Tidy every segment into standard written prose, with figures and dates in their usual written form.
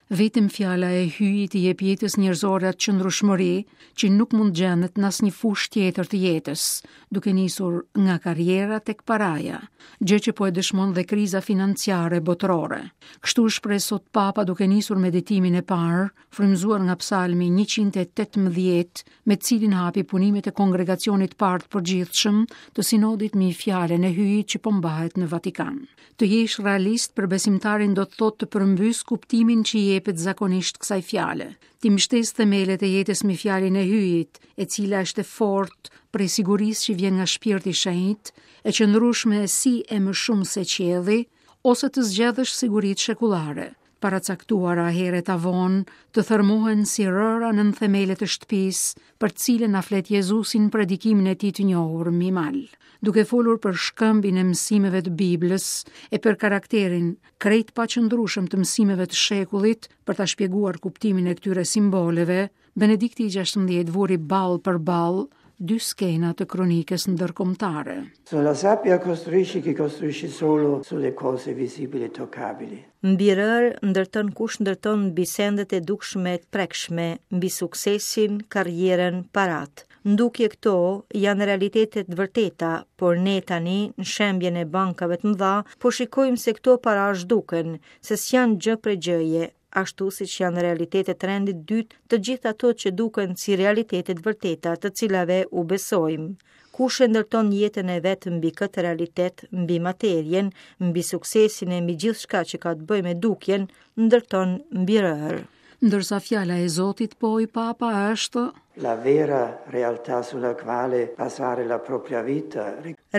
Vetëm fjala e Hyjit i jep jetës njerëzore atë qëndrueshmëri që nuk mund të gjendet në asnjë fushë tjetër të jetës, duke nisur nga karriera tek paraja, gjë që po e dëshmon dhe kriza financiare botërore. Kështu u shpreh sot Papa duke nisur meditimin e parë, frymëzuar nga Psalmi 118, me të cilin hapi punimet e Kongregacionit të Parë të Përgjithshëm të Sinodit mbi Fjalën e Hyjit që po mbahet në Vatikan. Të jesh realist për besimtarin do të thotë të përmbysë kuptimin që i jepet zakonisht kësaj fjale. T'i mbështesë themelet e jetës mbi fjalën e Hyjit, e cila është e fortë prej sigurisë që vjen nga Shpirti i Shenjtë, e qëndrueshme si e më shumë se qielli, ose të zgjedhësh siguritë shekullare, paracaktuara herët a vonë, të thërmohen si rëra nën themelet e shtëpisë, për të cilën na flet Jezusi në predikimin e tij të njohur mbi mal. Duke folur për shkëmbin e mësimeve të Biblës e për karakterin krejt të paqëndrueshëm të mësimeve të shekullit, për ta shpjeguar kuptimin e këtyre simboleve, Benedikti i 16 vuri ballë për ballë dy skena të kronikës ndërkombëtare. Sulla sabbia costruisce chi costruisce solo sulle cose visibili e toccabili. Mbi rërë ndërton kush ndërton mbi sendet e dukshme e të prekshme, mbi suksesin, karrierën, paratë. Në dukje këto janë realitete të vërteta, por ne tani, në shembjen e bankave të mëdha, po shikojmë se këto para zhduken, se s'janë gjë prej gjëje, ashtu siç janë realitete të rendit të dytë të gjitha ato që duken si realitete të vërteta të cilave u besojmë. Kush e ndërton jetën e vet mbi këtë realitet, mbi materien, mbi suksesin e mbi gjithçka që ka të bëjë me dukjen, ndërton mbi rërë. Ndërsa fjala e Zotit, pohoi Papa, është La vera realtà sulla quale basare la propria vita.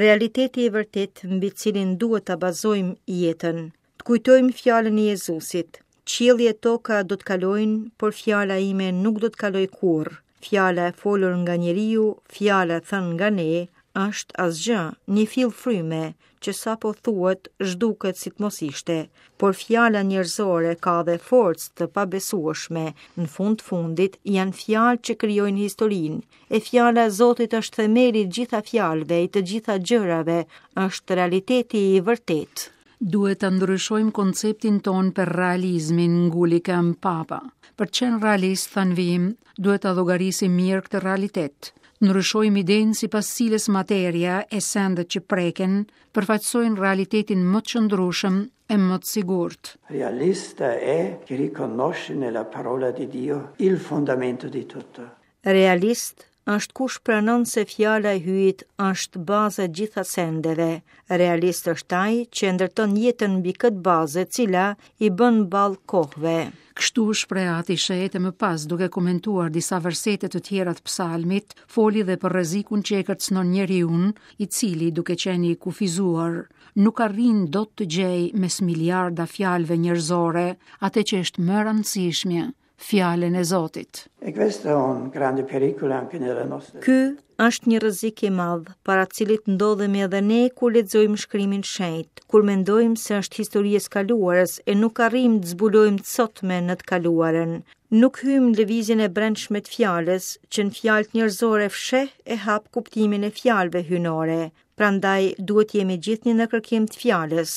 Realiteti i vërtetë mbi të cilin duhet ta bazojmë jetën. Të kujtojmë fjalën e Jezusit, Qielli e toka do të kalojnë, por fjala ime nuk do të kalojë kurrë. Fjala e folur nga njeriu, fjala e thënë nga ne, është asgjë, një fill fryme, që sapo thuhet, zhduket si të mos ishte. Por fjala njerëzore ka dhe forcë të pabesueshme, në fund të fundit janë fjalë që krijojnë historinë. E fjala e Zotit është themeli i të gjitha fjalëve, i të gjitha gjërave, është realiteti i vërtetë. Duhet ta ndryshojmë konceptin tonë për realizmin, nguli këmbë Papa. Për të qenë realist, tha në vijim, duhet ta llogarisim mirë këtë realitet. Të ndryshojmë idenë sipas cilës materia e sendet që preken përfaqësojnë realitetin më të qëndrueshëm e më të sigurt. Realista è chi riconosce nella parola di Dio il fondamento di tutto. Realist është kush pranon se fjala e Hyjit është baza e gjitha sendeve. Realist është ai që e ndërton jetën mbi këtë bazë e cila i bën ballë kohëve. Kështu u shpreh Ati i Shenjtë e më pas, duke komentuar disa versete të tjera të psalmit, foli dhe për rrezikun që e kërcënon njeriun, i cili, duke qenë i kufizuar, nuk arrin dot të gjejë mes miliarda fjalëve njerëzore atë që është më e rëndësishmja, fjalën e Zotit. E questo è un grande pericolo anche nella nostra. Ky është një rrezik i madh, para të cilit ndodhemi edhe ne kur lexojmë shkrimin e shenjtë, kur mendojmë se është histori e së kaluarës e nuk arrijmë të zbulojmë të sotmen në të kaluarën. Nuk hyjmë në lëvizjen e brendshme të fjalës, që në fjalët njerëzore fsheh e hap kuptimin e fjalëve hyjnore. Prandaj duhet të jemi gjithnjë në kërkim të fjalës.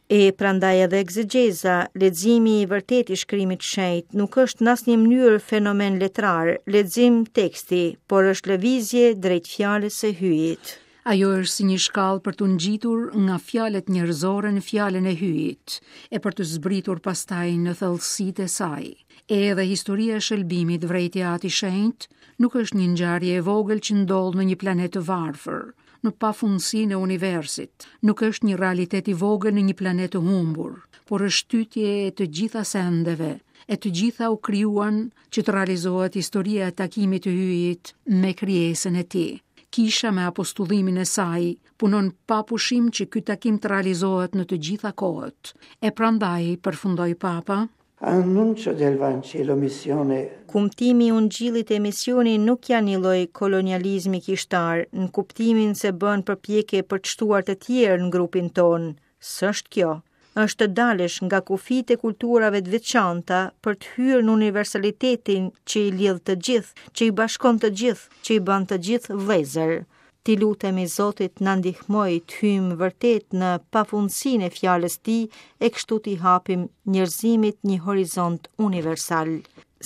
E prandaj edhe ekzegjeza, leximi i vërtetë i shkrimit të shenjtë, nuk është në asnjë mënyrë fenomen letrar, lexim teksti, por është lëvizje drejt fjalës së Hyjit. Ajo është si një shkallë për t'u ngjitur nga fjalët njerëzore në fjalën e Hyjit, e për të zbritur pastaj në thellësitë e saj. E edhe historia e shëlbimit, vërejti Ati i Shenjtë, nuk është një ngjarje e vogël që ndodh në një planet të varfër, në pafundësinë e universit, nuk është një realitet i vogël në një planet të humbur, por është shtytje e të gjitha sendeve, e të gjitha u krijuan që të realizohet historia e takimit të Hyjit me krijesën e tij. Kisha me apostullimin e saj punon pa pushim që ky takim të realizohet në të gjitha kohët. E prandaj, përfundoi Papa, Annuncio del Vangelo missione. Kumtimi i Ungjillit e misioni nuk janë një lloj kolonializmi kishtar, në kuptimin se bën përpjekje për të shtuar të tjerë në grupin tonë. S'është kjo. Është të dalësh nga kufijtë e kulturave të veçanta për të hyrë në universalitetin që i lidh të gjithë, që i bashkon të gjithë, që i bën të gjithë vëllezër. T'i lutemi Zotit na ndihmojë të hyjmë vërtet në pafundësinë e fjalës tij e kështu t'i hapim njerëzimit një horizont universal.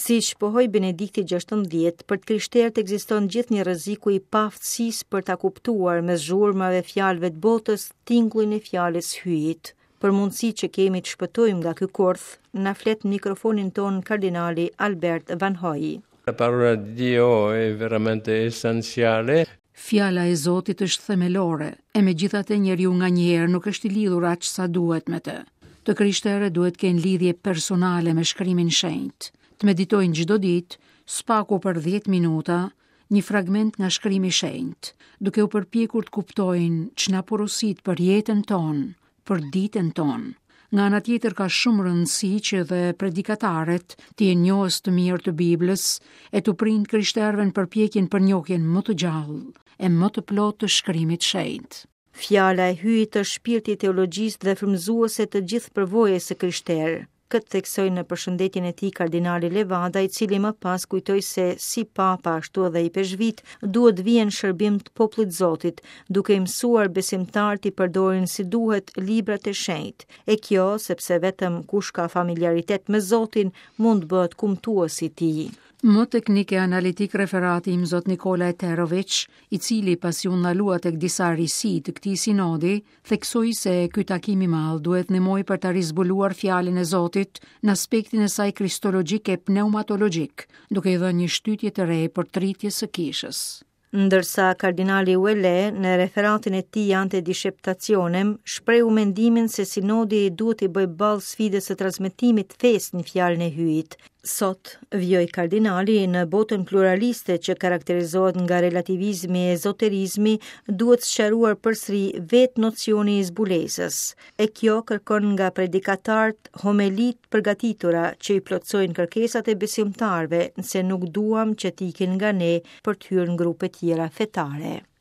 Siç pohoi Benedikti 16, për të krishterët ekziston gjithnjë rreziku i paaftësisë për ta kuptuar mes zhurmave fjalëve të botës tingullin e fjalës Hyjit. Për mundësitë që kemi të shpëtojmë nga ky kurth, na flet në mikrofonin tonë kardinali Albert Vanhoj. La parola di Dio è veramente essenziale. Fjala e Zotit është themelore, e megjithatë njeriu nganjëherë nuk është i lidhur aq sa duhet me të. Të krishterët duhet të kenë lidhje personale me shkrimin shenjt, të meditojnë çdo ditë, së paku për 10 minuta, një fragment nga shkrimi i shenjtë, duke u përpjekur të kuptojnë ç'na porosit për jetën tonë, për ditën tonë. Nga ana tjetër ka shumë rëndësi që dhe predikatarët të jenë njohës të mirë të Biblës e t'u prijnë të krishterëve në përpjekjen për njohjen më të gjallë e më të plotë të shkrimit shenjt. Fjala e Hyjit është shpirti i teologjisë dhe frymëzuese të gjithë përvojës së krishterë. Këtë theksoi në përshëndetjen e tij kardinali Levada, i cili më pas kujtoi se si papa ashtu edhe ipeshkvijtë duhet të vihen në shërbim të popullit Zotit, duke i mësuar besimtarët t'i përdorin si duhet librat e shenjtë. E kjo sepse vetëm kush ka familiaritet me Zotin mund të bëhet kumtues i tij. Më teknik e analitik referati Imzot Nikola Eterović, i cili pasi u ndalua tek disa risi të këtij sinodi, theksoi se ky takim i madh duhet të ndihmojë për ta rizbuluar fjalën e Zotit në aspektin e saj kristologjik e pneumatologjik, duke i dhënë një shtytje të re përtëritjes së kishës. Ndërsa kardinali Ouellet në referatin e tij Ante Disceptationem shprehu mendimin se sinodi duhet t'i bëjë ballë sfidës së transmetimit të fesë në fjalën e Hyjit. Sot, vijoi kardinali, në botën pluraliste që karakterizohet nga relativizmi e ezoterizmi, duhet sqaruar përsëri vetë nocioni i zbulesës. E kjo kërkon nga predikatarët homeli të përgatitura që i plotësojnë kërkesat e besimtarëve nëse nuk duam që të ikin nga ne për të hyrë në grupe tjera fetare.